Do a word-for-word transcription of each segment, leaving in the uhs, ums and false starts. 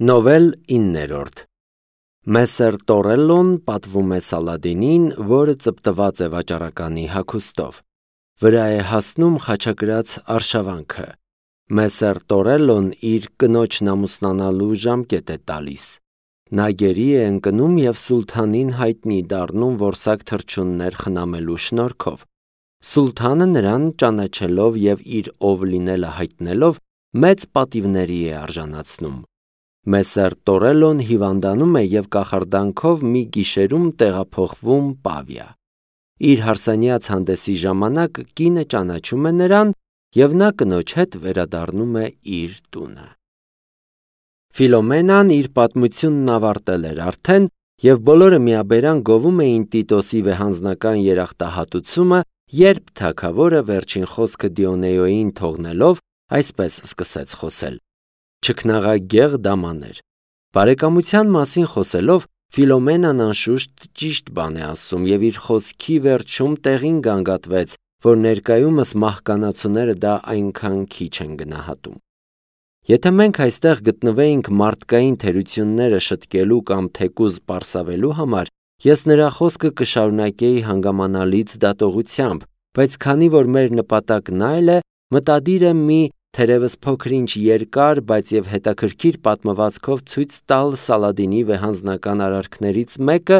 Նովել իններորդ Մեսեր Տորելլոն պատվում է Սալադինին, որը ծպտված է վաճառականի հագուստով։ Վրա է հասնում խաչակրած արշավանքը։ Մեսեր Տորելլոն իր կնոջն ամուսնանալու ժամկետ է տալիս։ Նա գերի է ընկնում և սուլթանին հայտնի դառնում որսակ թռչուններ խնամելու շնորհքով։ Սուլթանը նրան ճանաչելով և իր ով լինելը հայտնելով, մեծ պատիվների է արժանացնում։ Մեսեր Տորելլոն հիվանդանում է և կախարդանքով մի գիշերում տեղափոխվում Պավիա։ Իր հարսանյաց հանդեսի ժամանակ կինը ճանաչում է նրան, և նա կնոջ հետ վերադառնում է իր տունը։ Ֆիլոմենան իր պատմությունն ավարտել էր արդեն, և բոլորը միաբերան գովում էին Տիտոսի վեհանձնական երախտահատուցումը, երբ թագավորը վերջին խոսքը Դիոնեոյին թողնելով, այսպես սկսեց խոսել. «Չքնաղագեղ դամաներ, բարեկամության մասին խոսելով, Ֆիլոմենան անշուշտ ճիշտ բան է ասում և իր խոսքի վերջում տեղին գանգատվեց, որ ներկայումս մահկանացուները դա այնքան քիչ են գնահատում։ Եթե մենք այստեղ գտնվեինք մարդկային թերությունները շտկելու կամ թեկուզ պարսավելու համար, ես նրա խոսքը կշարունակեի հանգամանալից դատողությամբ, բայց քանի որ մեր նպատակն այլ է, մտադիր եմ մի թերևս փոքր-ինչ երկար, բայց և հետաքրքիր պատմվածքով ցույց տալ Սալադինի վեհանձնական արարքներից մեկը,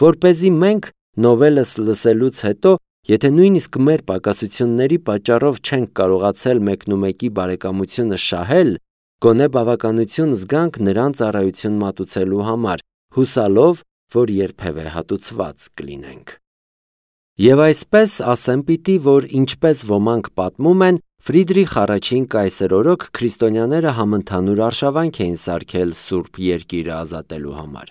որպեսզի մենք նովելս լսելուց հետո, եթե նույնիսկ մեր պակասությունների պատճառով չենք կարողացել մեկնումեկի բարեկամությունը շահել, գոնե բավականություն զգանք նրան ծառայություն մատուցելու համար, հուսալով, որ երբևէ հատուցված կլինենք։ Եվ այսպես ասեմ պիտի, որ ինչպես ոմանք պատմում են, Ֆրիդրիխ առաջին կայսեր օրոք քրիստոնյաները համընդհանուր արշավանք էին սարքել Սուրբ Երկիրը ազատելու համար։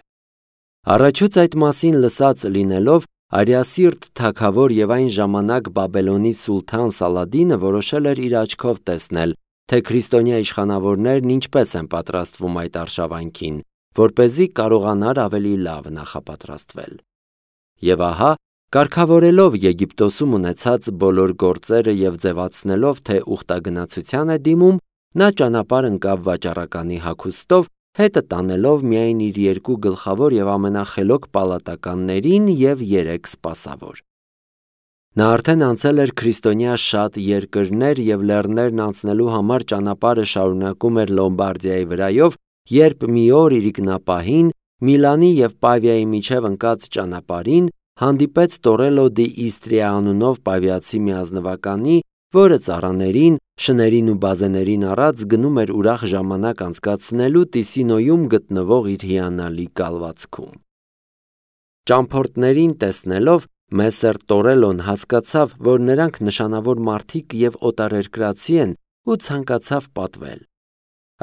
Առաջուց այդ մասին լսած լինելով, արիասիրտ թագավոր և այն ժամանակ Բաբելոնի սուլթան Սալադինը որոշել էր իր աչքով տեսնել, թե քրիստոնյա իշխանավորներն ինչպես են պատրաստվում այդ արշավանքին, որպեսզի կարողանար ավելի լավ նախապատրաստվել։ Եվ ահա, կարգավորելով Եգիպտոսում ունեցած բոլոր գործերը և ձևացնելով, թե ուխտագնացության է դիմում, նա ճանապարհ ընկավ վաճառականի հագուստով, հետը տանելով միայն իր երկու գլխավոր և ամենախելոք պալատականներին և երեք սպասավոր։ Նա արդեն անցել էր քրիստոնյա շատ երկրներ և լեռներն անցնելու համար ճանապարհը շարունակում էր Լոմբարդիայի վրայով, երբ մի օր իրիկնապահին, Միլանի և Պավիայի միջև ընկած ճանապարհին, հանդիպեց Տորելլո դի Իստրիա անունով պավիացի մի ազնվականի, որը ծառաներին, շներին ու բազեներին առած գնում էր ուրախ ժամանակ անցկացնելու Տիսինոյում գտնվող իր հիանալի կալվածքում։ Ճամփորդներին տեսնելով, Մեսեր Տորելլոն հասկացավ, որ նրանք նշանավոր մարդիկ և օտարերկրացի են ու ցանկացավ պատվել։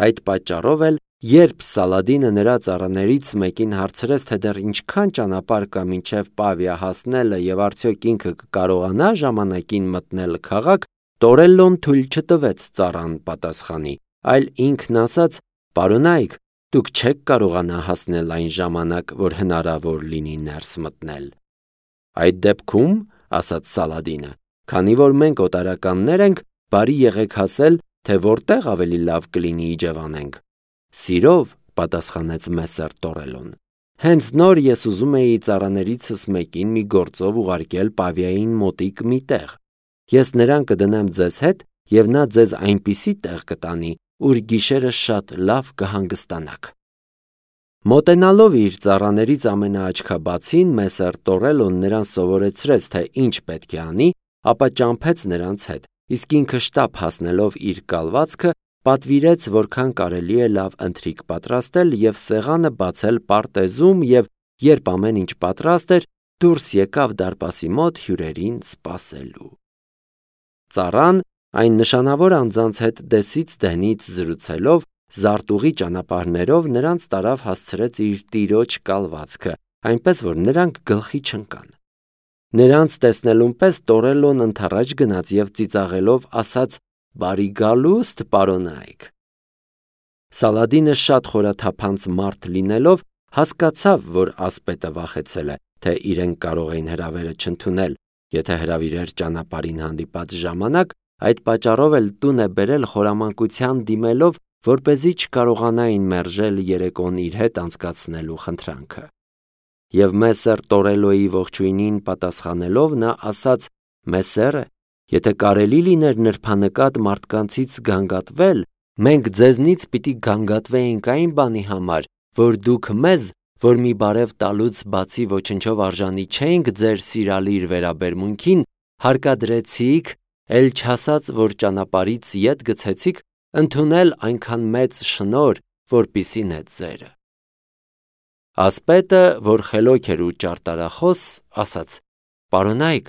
Այդ պատճառով էլ, երբ Սալադինը նրա ծառաներից մեկին հարցրեց, թե դեռ ինչքան ճանապարհ կա մինչև Պավիա հասնելը և արդյոք ինքը կկարողանա ժամանակին մտնել քաղաք, Տորելլոն թույլ չտվեց ծառան պատասխանի, այլ ինքն ասաց. «Պարոնայք, դուք չեք կարողանա հասնել այն ժամանակ, որ հնարավոր լինի ներս մտնել»։ «Այդ դեպքում, — ասաց Սալադինը, — քանի որ մենք օտարականներ ենք, բարի եղեք հասել, թե որտեղ ավելի լավ կլինի իջևանենք»։ «Սիրով, — պատասխանեց Մեսեր Տորելլոն, — հենց նոր ես ուզում էի ծառաներիցս մեկին մի գործով ուղարկել Պավիային մոտիկ մի տեղ։ Ես նրան կդնեմ ձեզ հետ, և նա ձեզ այնպիսի տեղ կտանի, ուր գիշերը շատ լավ կհանգստանաք»։ Մոտենալով իր ծառաներից ամենաաչքաբացին, Մեսեր Տորելլոն նրան սովորեցրեց, թե ինչ պետք է անի, ապա ճամփեց նրանց հետ, իսկ ինքը շտապ հասնելով իր կալվածքը, պատվիրեց, որքան կարելի է լավ ընթրիք պատրաստել և սեղանը բացել պարտեզում և, երբ ամեն ինչ պատրաստ էր, դուրս եկավ դարպասի մոտ հյուրերին սպասելու։ Ծառան, այն նշանավոր անձանց հետ դեսից դենից զրուցելով, զարտուղի ճանապարհներով նրանց տարավ հասցրեց իր տիրոջ կալվածքը, այնպես որ նրանք գլխի չընկան։ Նրանց տեսնելուն պես Տորելլոն ընդառաջ գնաց և ծիծաղելով ասաց. «Բարի գալուստ, պարոնայք»։ Սալադինը շատ խորաթափանց մարդ լինելով, հասկացավ, որ ասպետը վախեցել է, թե իրեն կարող էին հրավերը չընդունել, եթե հրավիրեր ճանապարհին հանդիպած ժամանակ, այդ պատճառով էլ տուն է բերել խորամանկության դիմելով որպեսզի չկարողանային մերժել երեկոն իր հետ անցկացնելու խնդրանքը։ Եվ Մեսեր Տորելոյի ողջույնին պատասխանելով նա ասաց. «Մեսերը, եթե կարելի լիներ նրբանկատ մարդկանցից գանգատվել, մենք ձեզնից պիտի գանգատվեինք այն բանի համար, որ դուք մեզ, որ մի բարև տալուց բացի ոչնչով արժանի չենք ձեր սիրալիր վերաբերմունքին, հարկադրեցիք, էլ չասած, որ ճանապարհից ետ գցեցիք, ընդունել այնքան մեծ շնորհ, որպիսի նետ ձերը»։ Ասպետը, որ խելոք էր ու ճարտարախոս, ասաց. «Պարոնայք,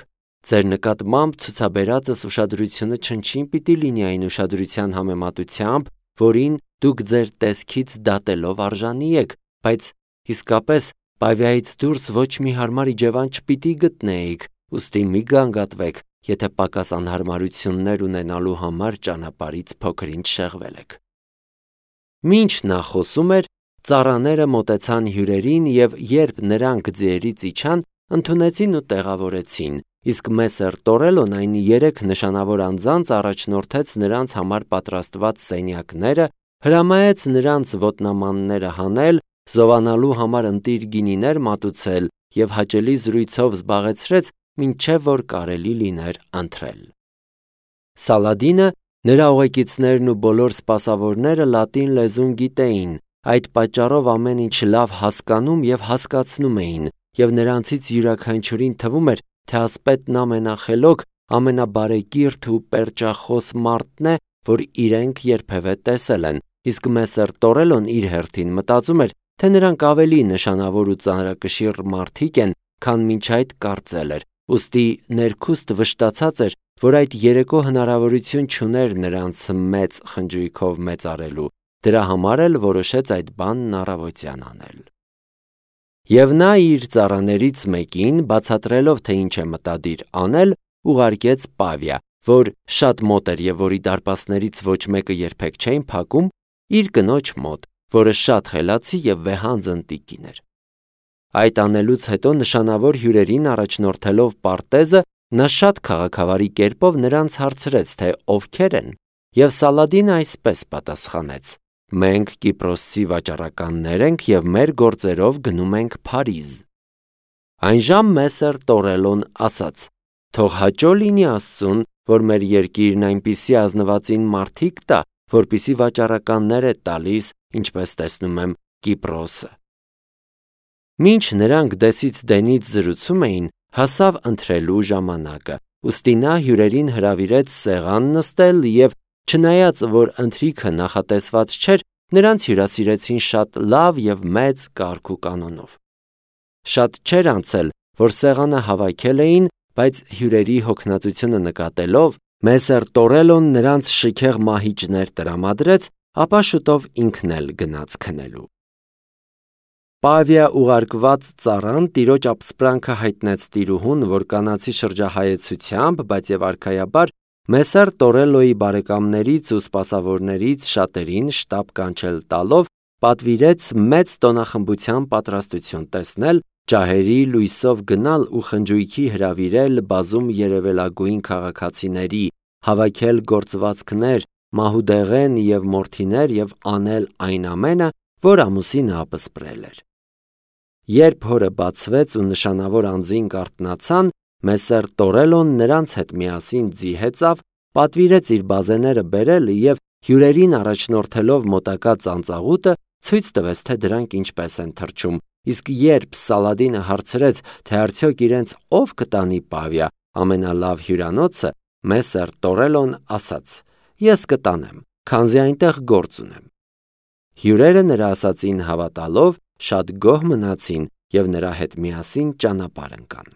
ձեր նկատմամբ ցուցաբերածս ուշադրությունը չնչին պիտի լինի այն ուշադրության համեմատությամբ, որին դուք ձեր տեսքից դատելով արժանի եք, բայց իսկապես Պավիայից դուրս ոչ մի հարմար իջևան չպիտի գտնեիք, ուստի մի գանգատվեք, եթե պակաս անհարմարություններ ունենալու համար ճանապարհից փոքր-ինչ շեղվել եք»։ Մինչ նա խոսում էր, ծառաները մոտեցան հյուրերին և երբ նրանք ձիերից իջան, ընդունեցին ու տեղավորեցին, իսկ Մեսեր Տորելոն այն երեք նշանավոր անձանց առաջնորդեց նրանց համար պատրաստված սենյակները, հրամայեց նրանց ոտնամանները հանել, զովանալու համար ընտիր գինիներ մատուցել և հաճելի զրույցով զբաղեցրեց, մինչև որ կարելի լիներ ընթրել։ Սալադինը, նրա ուղեկիցներն ու բոլոր սպասավորները լատին լեզուն գիտեին, այդ պատճառով ամեն ինչ լավ հասկանում և հասկացնում էին, և նրանցից յուրաքանչյուրին թվում էր, թե ասպետն ամենախելոք, ամենաբարեկիրթ ու պերճախոս մարդն է, որ իրենք երբևէ տեսել են, իսկ Մեսեր Տորելոն իր հերթին մտածում էր, թե նրանք ավելի նշանավոր ու ծանրակշիռ մարդիկ են, քան մինչ այդ կարծել էր, ուստի ներքուստ վշտացած էր, որ այդ երեկո հնարավորություն չուներ նրանց մեծ խնջույքով մեծարելու, դրա համար էլ որոշեց այդ բանն առավոտյան անել։ Եվ նա իր ծառաներից մեկին, բացատրելով, թե ինչ է մտադիր անել, ուղարկեց Պավիա, որ շատ մոտ էր և որի դարպասներից ոչ մեկը երբեք չէին փակում, իր կնոջ մոտ, որը շատ խելացի և վեհանձն տիկին էր։ Այդ անելուց հետո նշանավոր հյուրերին առաջնորդելով պարտեզը, նա շատ քաղաքավարի կերպով նրանց հարցրեց, թե ովքեր են, և Սալադինը այսպես պատասխանեց. «Մենք Կիպրոսցի վաճառականներ ենք և մեր գործերով գնում ենք Փարիզ»։ Այնժամ Մեսեր Տորելոն ասաց. «Թող հաճո լինի Աստծուն, որ մեր երկիրն այնպիսի ազնվածին մարդիկ տա, որպիսի վաճառականներ է տալիս, ինչպես տեսնում եմ Կիպրոսը»։ Մինչ նրանք դեսից դենից զրուցում էին, հասավ ընթրելու ժամանակը, ուստի նա հյուրերին հրավիրեց սեղան նստել և, չնայած որ ընթրիքը նախատեսված չէր, նրանց հյուրասիրեցին շատ լավ և մեծ կարգ ու կանոնով։ Շատ չէր անցել, որ սեղանը հավաքել էին, բայց հյուրերի հոգնածությունը նկատելով, Մեսեր Տորելոն նրանց շքեղ մահիճներ տրամադրեց, ապա շուտով ինքն էլ գնաց քնելու։ Պավիա ուղարկված ծառան տիրոջ ապսպրանքը հայտնեց տիրուհուն, որ կանացի շրջահայեցությամբ, բայց և արքայաբար Մեսեր Տորելոյի բարեկամներից ու սպասավորներից շատերին շտապ կանչել տալով, պատվիրեց մեծ տոնախմբության պատրաստություն տեսնել, ջահերի լույսով գնալ ու խնջույքի հրավիրել բազում երևելագույն քաղաքացիների, հավաքել գործվածքներ, մահուդեղեն և մորթիներ և անել այն ամենը, որ ամուսինը ապսպրել էր։ Երբ հորը բացվեց ու նշանավոր անձին կարթնացան, Մեսեր Տորելոն նրանց հետ միասին ձի հեծավ, պատվիրեց իր բազեները բերել և հյուրերին առաջնորդելով մոտակա ծանծաղուտը, ցույց տվեց, թե դրանք ինչպես են թռչում, իսկ երբ Սալադինը հարցրեց, թե արդյոք իրենց ով կտանի Պավիա, ամենալավ հյուրանոցը, Մեսեր Տորելոն ասաց. «Ես կտանեմ, քանզի այնտեղ գործ ունեմ»։ Հյուրերը նրա ասածին հավատալով շատ գոհ մնացին և նրա հետ միասին ճանապարհ ընկան։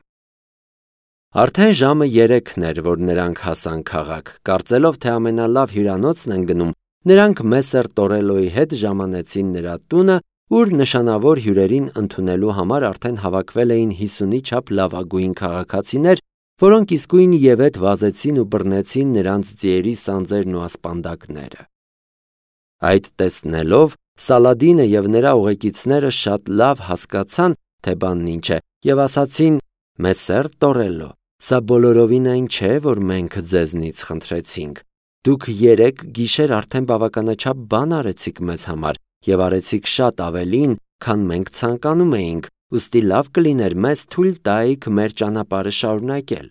Արդեն ժամը երեքն էր, որ նրանք հասան քաղաք, կարծելով, թե ամենալավ հյուրանոցն են գնում, նրանք Մեսեր Տորելոյի հետ ժամանեցին նրա տունը, ուր նշանավոր հյուրերին ընդունելու համար արդեն հավաքվել էին հիսունի չափ լավագույն քաղաքացիներ, որոնք իսկույն ևեթ վազեցին ու բռնեցին նրանց ձիերի սանձերն ու ասպանդակները։ Այդ տեսնելով Սալադինը և նրա ուղեկիցները շատ լավ հասկացան, թե բանն ինչ է, և ասացին. «Մեսեր Տորելո, սա բոլորովին այն չէ, որ մենք ձեզնից խնդրեցինք։ Դուք երեք գիշեր արդեն բավականաչափ բան արեցիք մեզ համար և արեցիք շատ ավելին, քան մենք ցանկանում էինք, ուստի լավ կլիներ մեզ թույլ տայիք մեր ճանապարհը շարունակել։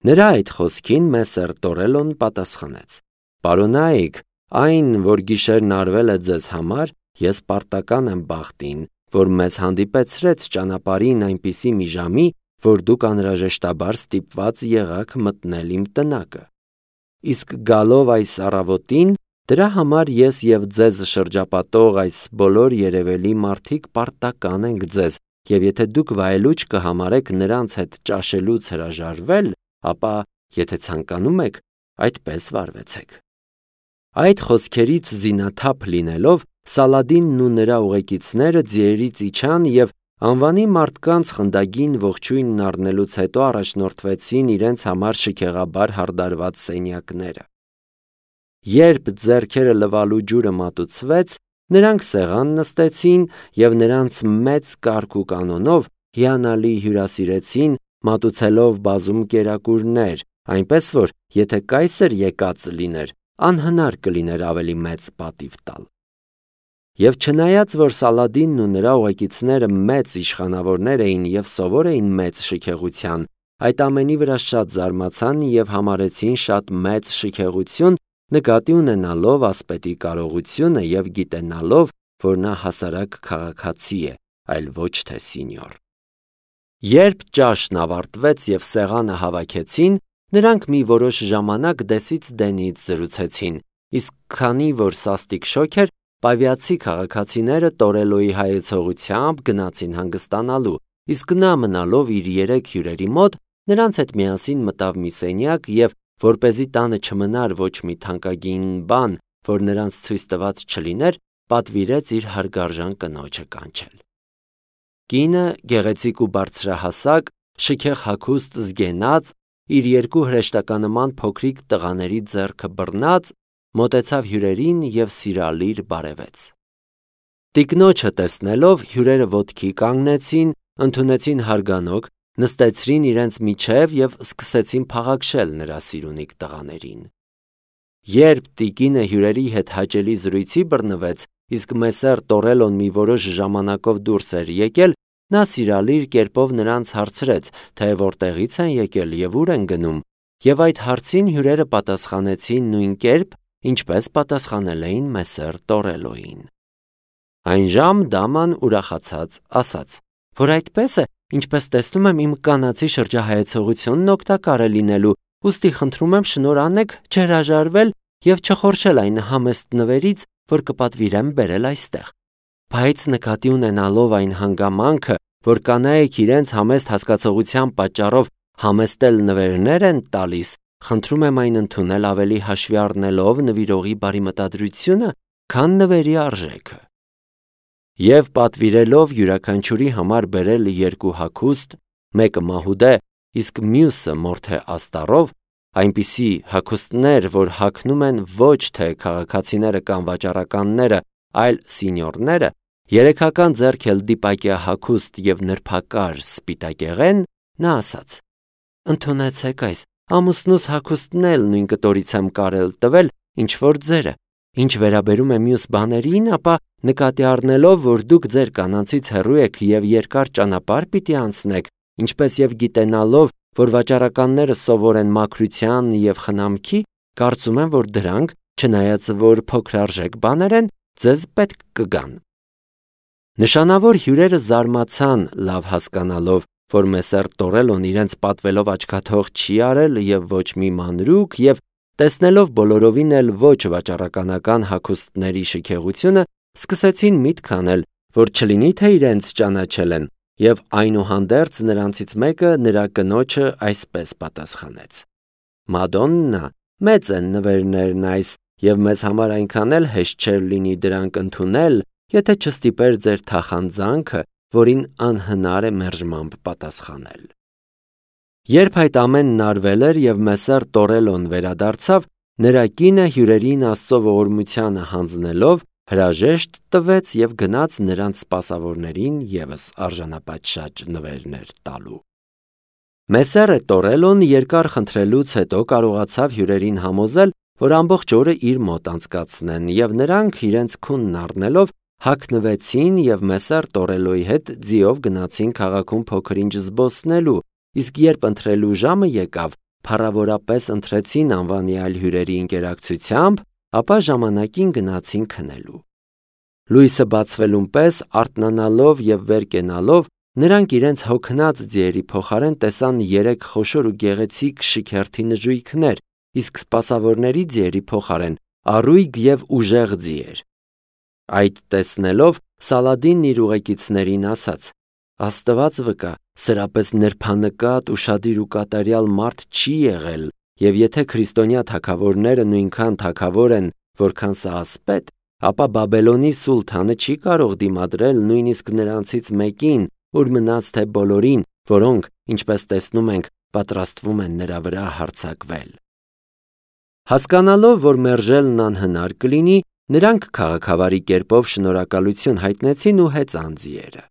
Նրա այդ խոսքին Մեսեր Տորելոն պատասխանեց. Պարոնայք, այն, որ գիշերն արվել է ձեզ համար, ես պարտական եմ բախտին, որ մեզ հանդիպեցրեց ճանապարհին այնպիսի մի ժամի, որ դուք անհրաժեշտաբար ստիպված եղաք մտնել իմ տնակը։ Իսկ գալով այս առավոտին, դրա համար ես և ձեզ շրջապատող այս բոլոր երևելի մարդիկ պարտական ենք ձեզ, և եթե դուք վայելուչ կհամարեք նրանց հետ ճաշելուց հրաժարվել, ապա, եթե ցանկանում եք, այդպես վարվեցեք։ Այդ խոսքերից զինաթափ լինելով, Սալադինն ու նրա ուղեկիցները ձիերից իջան և անվանի մարդկանց խնդագին ողջույնն առնելուց հետո առաջնորդվեցին իրենց համար շքեղաբար հարդարված սենյակները։ Երբ ձեռքերը լվալու ջուրը մատուցվեց, նրանք սեղան նստեցին և նրանց մեծ կարգ ու կանոնով հիանալի հյուրասիրեցին, մատուցելով բազում կերակուրներ, այնպես որ, եթե կայսր եկած լիներ, անհնար կլիներ ավելի մեծ պատիվ տալ։ Եվ չնայած, որ Սալադինն ու նրա ուղեկիցները մեծ իշխանավորներ էին և սովոր էին մեծ շքեղության, այդ ամենի վրա շատ զարմացան և համարեցին շատ մեծ շքեղություն, նկատի ունենալով ասպետի կարողությունը և գիտենալով, որ նա հասարակ քաղաքացի է, այլ ոչ թե սինյոր։ Երբ ճաշն ավարտվեց և սեղանը հավաքեցին, նրանք մի որոշ ժամանակ դեսից դենից զրուցեցին, իսկ քանի որ սաստիկ շոգ էր, պավիացի քաղաքացիները Տորելոյի հայեցողությամբ գնացին հանգստանալու, իսկ նա մնալով իր երեք հյուրերի մոտ, նրանց հետ միասին մտավ մի սենյակ և, որպեսզի տանը չմնար ոչ մի թանկագին բան, որ նրանց ցույց տված չլիներ, պատվիրեց իր հարգարժան կնոջը կանչել։ Կինը, գեղեցիկ ու բարձրահասակ, շքեղ հագուստ զգենած, իր երկու հրեշտականման փոքրիկ տղաների ձեռքը բռնած, մոտեցավ հյուրերին և սիրալիր բարևեց։ Տիկնոջը տեսնելով, հյուրերը ոտքի կանգնեցին, ընդունեցին հարգանոք, նստեցրին իրենց միջև և սկսեցին փաղաքշել նրա սիրունիկ տղաներին։ Երբ տիկինը հյուրերի հետ հաճելի զրույցի բռնվեց, իսկ Մեսեր Տորելոն մի որոշ ժամանակով դուրս էր եկել, նա սիրալիր կերպով նրանց հարցրեց, թե որտեղից են եկել և ուր են գնում, և այդ հարցին հյուրերը պատասխանեցին նույն կերպ, ինչպես պատասխանել էին Մեսեր Տորելոյին։ Այնժամ դաման ուրախացած ասաց, որ այդպես է, ինչպես տեսնում եմ, իմ կանացի շրջահայեցողությունն օգտակար է լինելու, ուստի խնդրում եմ շնորհ անեք չհրաժարվել և չխորշել այն համեստ նվերից, որ կպատվիրեմ բերել այստեղ։ Բայց նկատի ունենալով այն հանգամանքը, որ կանայք իրենց համեստ հասկացողության պատճառով համեստել նվերներ են տալիս, խնդրում եմ այն ընդունել ավելի հաշվի առնելով նվիրողի բարի մտադրությունը, քան նվերի արժեքը։ Եվ պատվիրելով յուրաքանչյուրի համար բերել երկու հագուստ, մեկը մահուդե, իսկ մյուսը մորթե աստառով, այնպիսի հագուստներ, որ հագնում են ոչ թե քաղաքացիները կամ վաճառականները, այլ սինյորները, երեքական ձեռք էլ դիպակյա հագուստ և նրբակար սպիտակեղեն, նա ասաց. ընդունեցեք այս, ամուսնուս հագուստն էլ նույն կտորից եմ կարել տվել, ինչ որ ձերը, ինչ վերաբերում է մյուս բաներին, ապա նկատի առնելով, որ դուք ձեր կանանցից հեռու եք և երկար ճանապարհ պիտի անցնեք, ինչպես և գիտենալով, որ վաճառականները սովոր են մաքրության և խնամքի, կարծում եմ, որ դրանք, չնայած որ փոքրարժեք բաներ են, ձեզ պետք կգան։ Նշանավոր հյուրերը զարմացան, լավ հասկանալով, որ Մեսեր Տորելոն իրենց պատվելով աչքաթող չի արել և ոչ մի մանրուք և տեսնելով բոլորովին էլ ոչ վաճառականական հագուստների շքեղությունը, սկսեցին միտք անել, որ չլինի թե իրենց ճանաչել են, և այնուհանդերձ նրանցից մեկը նրա կնոջը այսպես պատասխանեց. Մադոննա, մեծ են նվերներն այս, և մեզ համար այնքան էլ հեշտ չէր լինի դրանք ընդունել, եթե չստիպեր ձեր թախանձանքը, որին անհնար է մերժմամբ պատասխանել։ Երբ այդ ամենն արվել էր և Մեսեր Տորելոն վերադարձավ, նրա կինը հյուրերին Աստծո ողորմությանը հանձնելով հրաժեշտ տվեց և գնաց նրանց սպասավորներին ևս արժանապատշաճ նվերներ տալու։ Մեսերը Տորելոն երկար խնդրելուց հետո կարողացավ հյուրերին համոզել, որ ամբողջ օրը իր մոտ անցկացնեն, և նրանք իրենց քունն առնելով հագնվեցին և Մեսեր Տորելոյի հետ ձիով գնացին քաղաքում փոքր-ինչ զբոսնելու, իսկ երբ ընթրելու ժամը եկավ, փառավորապես ընթրեցին անվանի այլ հյուրերի ընկերակցությամբ, ապա ժամանակին գնացին քնելու։ Լույսը բացվելուն պես արթնանալով և վեր կենալով, նրանք իրենց հոգնած ձիերի փոխարեն տեսան երեք խոշոր ու գեղեցիկ շքերթի նժույգներ, իսկ սպասավորների ձիերի փոխարեն առույգ և ուժեղ ձիեր։ Այդ տեսնելով Սալադինն իր ուղեկիցներին ասաց. «Աստված վկա, սրապես նրբանկատ, ուշադիր ու կատարյալ մարդ չի եղել, և եթե քրիստոնյա թագավորները նույնքան թագավոր են, որքան սա ասպետ, ապա Բաբելոնի սուլթանը չի կարող դիմադրել նույնիսկ նրանցից մեկին, ուր մնաց թե բոլորին, որոնք, ինչպես տեսնում ենք, պատրաստվում են նրա վրա հարձակվել»։ Հասկանալով, որ մերժելն անհնար կլինի, նրանք քաղաքավարի կերպով շնորհակալություն հայտնեցին ու հեծան ձիերը։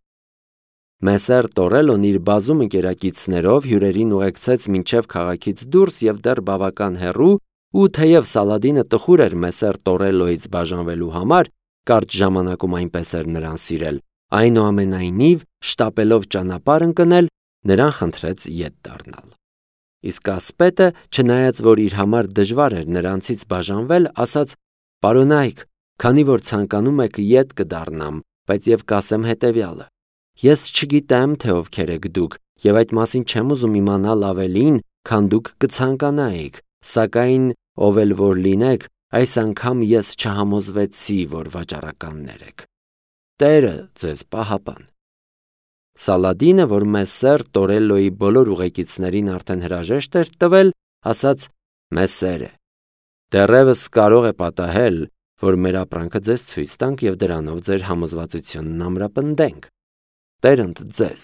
Մեսեր Տորելոն իր բազում ընկերակիցներով հյուրերին ուղեկցեց մինչև քաղաքից դուրս և դեռ բավական հեռու, ու թեև Սալադինը տխուր էր Մեսեր Տորելոյից բաժանվելու համար, կարճ ժամանակում այնպես էր նրան սիրել, այնուամենայնիվ, շտապելով ճանապարհ ընկնել, նրան խնդրեց ետ դառնալ։ Իսկ ասպետը, չնայած որ իր համար դժվար էր նրանցից բաժանվել, ասաց. «Պարոնայք, քանի որ ցանկանում եք ետ կդառնամ, բայց և կասեմ հետևյալը. ես չգիտեմ, թե ովքեր եք դուք, և այդ մասին չեմ ուզում իմանալ ավելին, քան դուք կցանկանայիք, սակայն ով էլ որ լինեք, այս անգամ ես չհամոզվեցի, որ վաճառականներ եք։ Տերը ձեզ պահապան»։ Սալադինը, որ Մեսեր Տորելոյի բոլոր ուղեկիցներին արդեն հրաժեշտ էր տվել, ասաց. «Մեսերը, դեռևս կարող է պատահել, որ մեր ապրանքը ձեզ ցույց տանք և դրանով ձեր համոզվածությունն ամրապնդենք։ Տերընդ ձեզ»։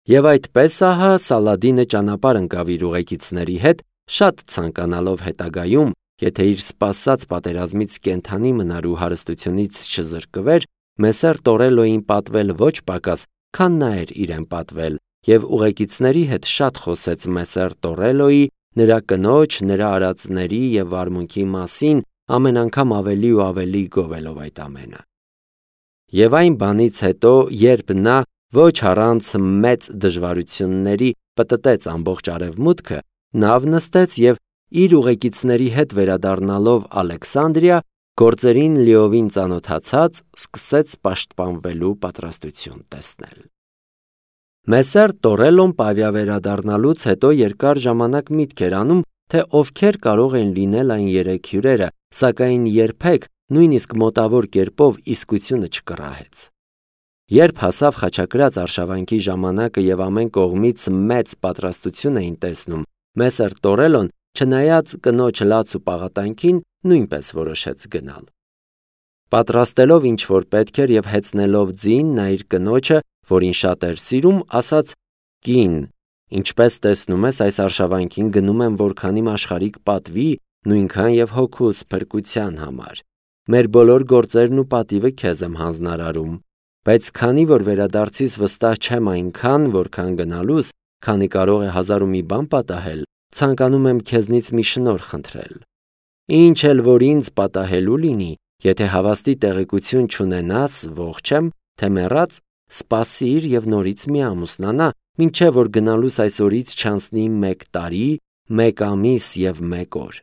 Եվ այդպես ահա Սալադինը ճանապարհ ընկավ իր ուղեկիցների հետ, շատ ցանկանալով հետագայում, եթե իր սպասած պատերազմից կենդանի մնար ու հարստությունից չզրկվեր, Մեսեր Տորելոյին պատվել ոչ պակաս, քան նա էր իրեն պատվել, և ուղեկիցների հետ շատ խոսեց Մեսեր Տորելոյի, նրա կնոջ, նրա արածների և վարմունքի մասին, ամեն անգամ ավելի ու ավելի գովելով այդ ամենը։ Եվ այն բանից հետո, երբ նա ոչ առանց մեծ դժվարությունների պտտեց ամբողջ արևմուտքը, նավ նստեց և իր ուղեկիցների հետ վերադառնալով Ալեքսանդրիա, գործերին լիովին ծանոթացած, սկսեց պաշտպանվելու պատրաստություն տեսնել։ Մեսեր Տորելոն պավիա վերադառնալուց հետո երկար ժամանակ միտք էր անում, թե ովքեր կարող են լինել այն երեք հյուրերը, սակայն երբեք նույնիսկ մոտավոր կերպով իսկությունը չկռահեց։ Երբ հասավ խաչակրաց արշավանքի ժամանակը և ամեն կողմից մեծ պատրաստություն էին տեսնում, Մեսեր Տորելոն, չնայած կնոջ լաց ու պաղատանքին, նույնպես որոշեց գնալ։ Պատրաստելով ինչ որ պետք էր և հեծնելով ձին, նա իր կնոջը, որին շատ էր սիրում, ասաց. «Կին, ինչպես տեսնում ես, այս արշավանքին գնում եմ որքան իմ աշխարհիկ պատվի, նույնքան և հոգուս փրկության համար։ Մեր բոլոր գործերն ու պատիվը քեզ եմ հանձնարարում, բայց քանի որ վերադարձիս վստահ չեմ այնքան, որքան գնալուս, քանի կարող է հազար ու մի բան պատահել, ցանկանում եմ քեզնից մի շնորհ խնդրել։ Ինչ էլ որ ինձ պատահելու լինի, եթե հավաստի տեղեկություն չունենաս, ողջ եմ, թե մեռած, սպասիր և նորից մի ամուսնանա, մինչև որ գնալուս այս օրից չանցնի մեկ տարի, մեկ ամիս և մեկ օր»։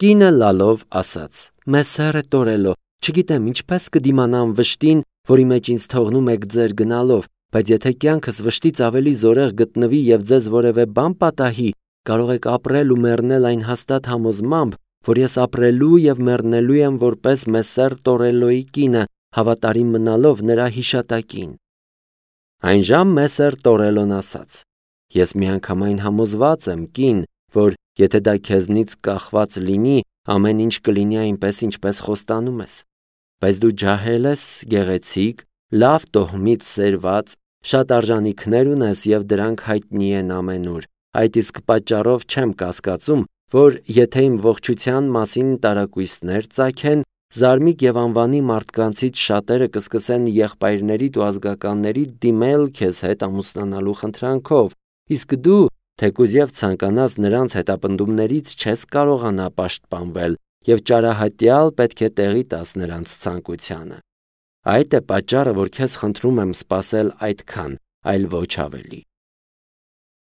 Կինը լալով ասաց. «Մեսերը Տորելո, չգիտեմ ինչպես կդիմանամ վշտին, որի մեջ ինձ թողնում եք ձեր գնալով, բայց եթե կյանքս վշտից ավելի զորեղ գտնվի և ձեզ որևէ բան պատահի, կարող եք ապրել ու մեռնել այն հաստատ համոզմամբ, որ ես ապրելու և մեռնելու եմ որպես Մեսեր Տորելոյի կինը, հավատարիմ մնալով նրա հիշատակին»։ Այնժամ Մեսեր Տորելոն ասաց. «Ես միանգամայն համոզված եմ, կին, որ եթե դա քեզնից կախված լինի, ամեն ինչ կլինի այնպես, ինչպես խոստանում ես։ Բայց դու ջահել ես, գեղեցիկ, լավ տոհմից սերված, շատ արժանիքներ ունես և դրանք հայտնի են ամենուր, այդ իսկ պատճառով չեմ կասկածում, որ եթե իմ ողջության մասին տարակույսներ ծագեն, զարմիկ և անվանի մարդկանցից շատերը կսկսեն եղբայրներիդ ու ազգականներիդ դիմել քեզ հետ ամուսնանալու խնդրանքով, իսկ դու, թեկուզ եւ ցանկանաս նրանց հետապնդումներից չես կարողանա պաշտպանվել եւ ճարահատյալ պետք է տեղի տաս նրանց ցանկությանը։ Այդ է պատճառը, որ քեզ խնդրում եմ սпасել այդքան, այլ ոչ ավելի։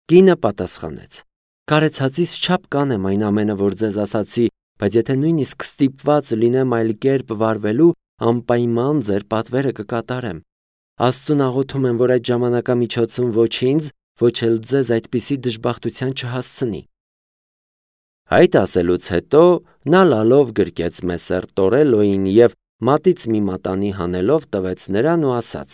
Կինը պատասխանեց. Կարեցածիս չափ կանեմ այն ամենը, որ ձեզ ասացի, բայց եթե նույնիսկ ստիպված լինեմ այլ կերպ վարվելու, անպայման ձեր պատվերը կկատարեմ։ Աստծուն աղոթում եմ, որ այդ ժամանակամիջոցում ոչ ինձ, ոչ էլ ձեզ այդպիսի դժբախտության չհասցնի։ Այդ ասելուց հետո նա լալով գրկեց Մեսեր Տորելոյին եւ մատից մի մատանի հանելով տվեց նրան ու ասաց.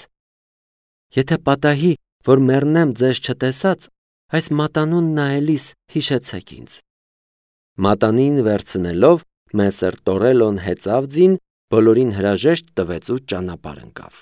Եթե պատահի, որ մեռնեմ ձեզ չտեսած, այս մատանուն նայելիս հիշեցեք ինձ։ Մատանին վերցնելով Մեսեր Տորելոն հեծավ ձին, բոլորին հրաժեշտ տվեց ու ճանապարհ ընկավ։